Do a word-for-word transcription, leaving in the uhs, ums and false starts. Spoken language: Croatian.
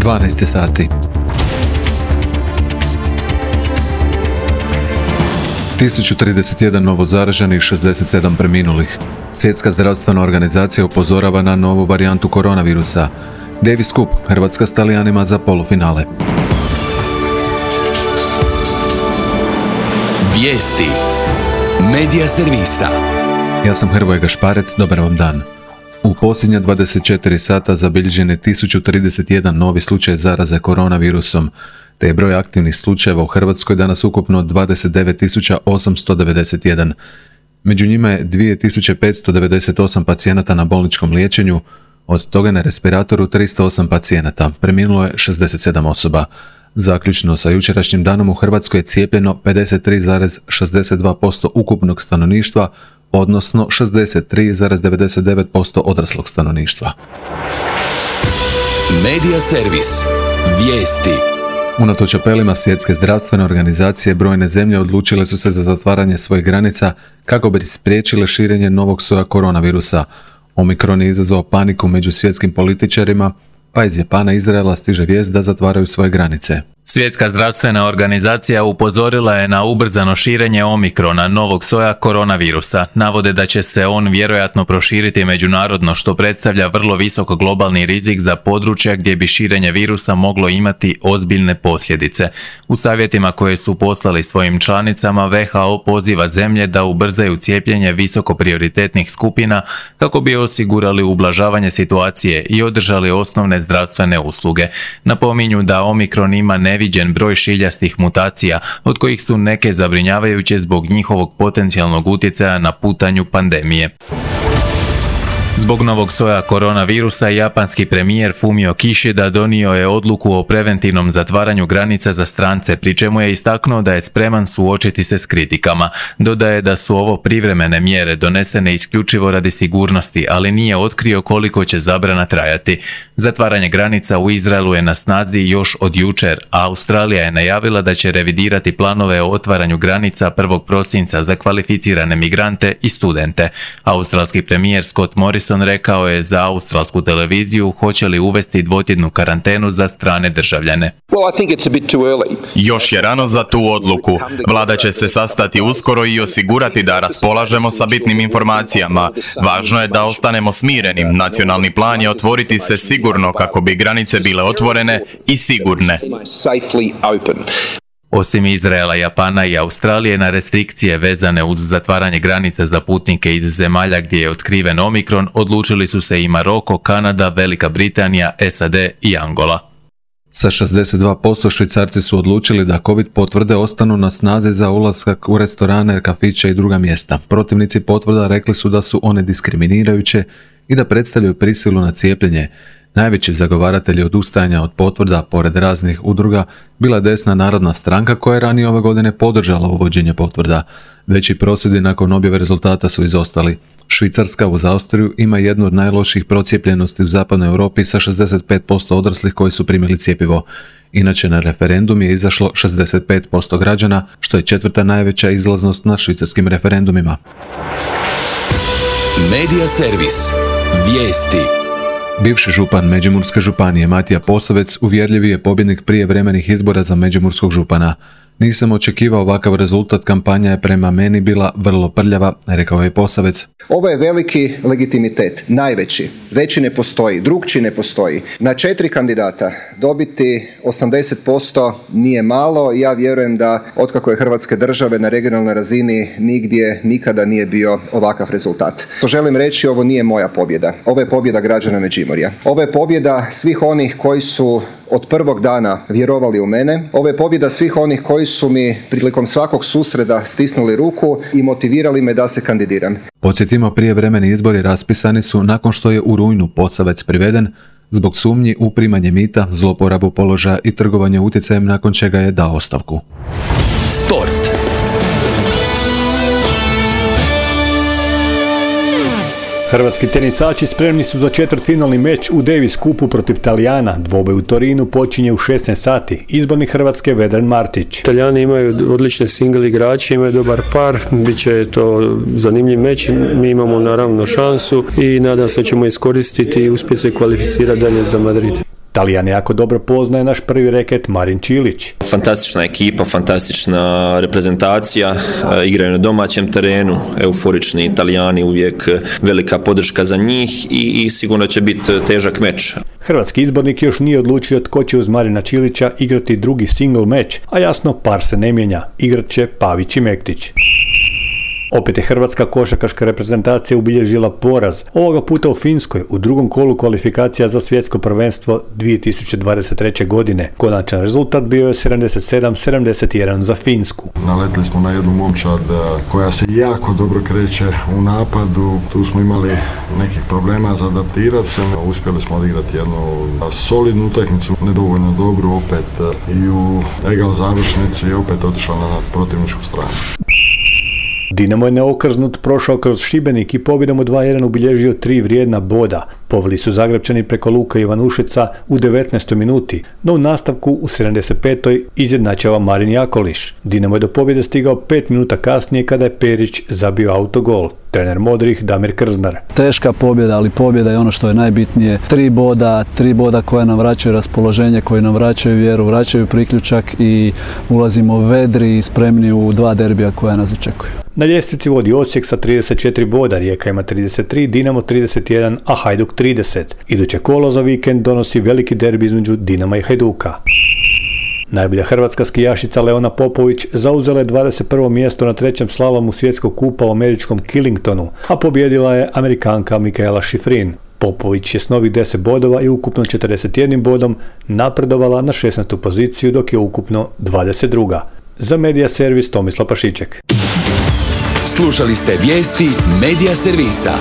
dvanaest sati. tisuću trideset jedan novo zaraženih, šezdeset sedam preminulih. Svjetska zdravstvena organizacija upozorava na novu varijantu koronavirusa. Davis Cup, Hrvatska s Talijanima za polufinale. Vijesti Medija servisa. Ja sam Hrvoje Gašparec, dobar vam dan. U posljednja dvadeset četiri sata zabilježen je tisuću trideset jedan novi slučaj zaraze koronavirusom, te je broj aktivnih slučajeva u Hrvatskoj danas ukupno dvadeset devet tisuća osamsto devedeset jedan. Među njima je dvije tisuće petsto devedeset osam pacijenata na bolničkom liječenju, od toga na respiratoru tristo osam pacijenata, preminulo je šezdeset sedam osoba. Zaključno sa jučerašnjim danom u Hrvatskoj je cijepljeno pedeset tri zarez šezdeset dva posto ukupnog stanovništva, odnosno šezdeset tri zarez devedeset devet posto odraslog stanovništva. Medija servis. Vijesti. Unatoč apelima Svjetske zdravstvene organizacije, brojne zemlje odlučile su se za zatvaranje svojih granica kako bi spriječile širenje novog soja koronavirusa. Omikron je izazvao paniku među svjetskim političarima, pa iz Japana i Izraela stiže vijest da zatvaraju svoje granice. Svjetska zdravstvena organizacija upozorila je na ubrzano širenje omikrona, novog soja koronavirusa. Navode da će se on vjerojatno proširiti međunarodno, što predstavlja vrlo visok globalni rizik za područja gdje bi širenje virusa moglo imati ozbiljne posljedice. U savjetima koje su poslali svojim članicama, W H O poziva zemlje da ubrzaju cijepljenje visoko prioritetnih skupina kako bi osigurali ublažavanje situacije i održali osnovne zdravstvene usluge. Napominju da omikron ima ne neviđen broj šiljastih mutacija, od kojih su neke zabrinjavajuće zbog njihovog potencijalnog utjecaja na putanju pandemije. Zbog novog soja koronavirusa, japanski premijer Fumio Kishida donio je odluku o preventivnom zatvaranju granica za strance, pri čemu je istaknuo da je spreman suočiti se s kritikama. Dodaje da su ovo privremene mjere donesene isključivo radi sigurnosti, ali nije otkrio koliko će zabrana trajati. Zatvaranje granica u Izraelu je na snazi još od jučer, a Australija je najavila da će revidirati planove o otvaranju granica prvog prosinca za kvalificirane migrante i studente. Australski premijer Scott Morrison rekao je za australsku televiziju hoće li uvesti dvotjednu karantenu za strane državljane. Još je rano za tu odluku. Vlada će se sastati uskoro i osigurati da raspolažemo sa bitnim informacijama. Važno je da ostanemo smirenim. Nacionalni plan je otvoriti se sigurno kako bi granice bile otvorene i sigurne. Osim Izraela, Japana i Australije, na restrikcije vezane uz zatvaranje granica za putnike iz zemalja gdje je otkriven omikron odlučili su se i Maroko, Kanada, Velika Britanija, S A D i Angola. Sa šezdeset dva posto Švicarci su odlučili da COVID potvrde ostanu na snazi za ulazak u restorane, kafiće i druga mjesta. Protivnici potvrda rekli su da su one diskriminirajuće i da predstavljaju prisilu na cijepljenje. Najveći zagovaratelji odustajanja od potvrda, pored raznih udruga, bila desna Narodna stranka koja je ranije ove godine podržala uvođenje potvrda. Veći prosvjedi nakon objave rezultata su izostali. Švicarska uz Austriju ima jednu od najlošijih procijepljenosti u zapadnoj Europi sa šezdeset pet posto odraslih koji su primili cjepivo. Inače, na referendum je izašlo šezdeset pet posto građana, što je četvrta najveća izlaznost na švicarskim referendumima. Medija servis. Vijesti. Bivši župan Međimurske županije Matija Posavec uvjerljivi je pobjednik prijevremenih izbora za međimurskog župana. Nisam očekivao ovakav rezultat, kampanja je prema meni bila vrlo prljava, rekao je Posavec. Ovo je veliki legitimitet, najveći. Veći ne postoji, drugčiji ne postoji. Na četiri kandidata dobiti osamdeset posto nije malo. Ja vjerujem da otkako je Hrvatske države na regionalnoj razini nigdje nikada nije bio ovakav rezultat. To želim reći, ovo nije moja pobjeda. Ovo je pobjeda građana Međimurja. Ovo je pobjeda svih onih koji su od prvog dana vjerovali u mene. Ovo je pobjeda svih onih koji su mi prilikom svakog susreda stisnuli ruku i motivirali me da se kandidiram. Podsjetimo, prijevremeni izbori raspisani su nakon što je u rujnu Posavec priveden zbog sumnji u primanje mita, zloporabu položaja i trgovanje utjecajem, nakon čega je dao ostavku. Sport. Hrvatski tenisači spremni su za četvrtfinalni meč u Davis Cupu protiv Talijana. Dvoboj u Torinu počinje u šesnaest sati. Izbornik Hrvatske Vedran Martić. Talijani imaju odlične single igrače, imaju dobar par, bit će to zanimljiv meč. Mi imamo naravno šansu i nadam se da ćemo iskoristiti i uspjeti se kvalificirati dalje za Madrid. Talijan jako dobro poznaje naš prvi reket Marin Čilić. Fantastična ekipa, fantastična reprezentacija, igraju na domaćem terenu, euforični Italijani, uvijek velika podrška za njih i, i sigurno će biti težak meč. Hrvatski izbornik još nije odlučio tko će uz Marina Čilića igrati drugi single meč, a jasno par se ne mijenja, igrat će Pavić i Mektić. Opet je hrvatska košarkaška reprezentacija ubilježila poraz, ovoga puta u Finskoj u drugom kolu kvalifikacija za svjetsko prvenstvo dvije tisuće dvadeset treće. godine. Konačan rezultat bio je sedamdeset sedam sedamdeset jedan za Finsku. Naletili smo na jednu momčad koja se jako dobro kreće u napadu, tu smo imali nekih problema za adaptirati se, uspjeli smo odigrati jednu solidnu utakmicu, nedovoljno dobru opet i u egal završnici i opet otišla na protivničku stranu. Dinamo je neokrznut prošao kroz Šibenik i pobjedom u dva jedan ubilježio tri vrijedna boda. Poveli su Zagrepčani preko Luka Ivanušeca u devetnaestoj minuti, no u nastavku u sedamdeset petoj izjednačava Marin Jakoliš. Dinamo je do pobjede stigao pet minuta kasnije kada je Perić zabio autogol. Trener modrih Damir Krznar. Teška pobjeda, ali pobjeda je ono što je najbitnije. Tri boda, tri boda koja nam vraćaju raspoloženje, koji nam vraćaju vjeru, vraćaju priključak i ulazimo vedri i spremni u dva derbija koja nas očekuju. Na ljestvici vodi Osijek sa trideset četiri boda, Rijeka ima trideset tri, Dinamo trideset jedan, a Hajduk trideset. Iduće kolo za vikend donosi veliki derbi između Dinama i Hajduka. Najbolja hrvatska skijašica Leona Popović zauzela je dvadeset prvo mjesto na trećem slalomu svjetskog kupa u američkom Killingtonu, a pobjedila je Amerikanka Mikaela Šifrin. Popović je s novih deset bodova i ukupno četrdeset jednim bodom napredovala na šesnaestu poziciju, dok je ukupno dvadeset druga. Za Medija Servis Tomislav Pašiček. Slušali ste vijesti Medija Servisa.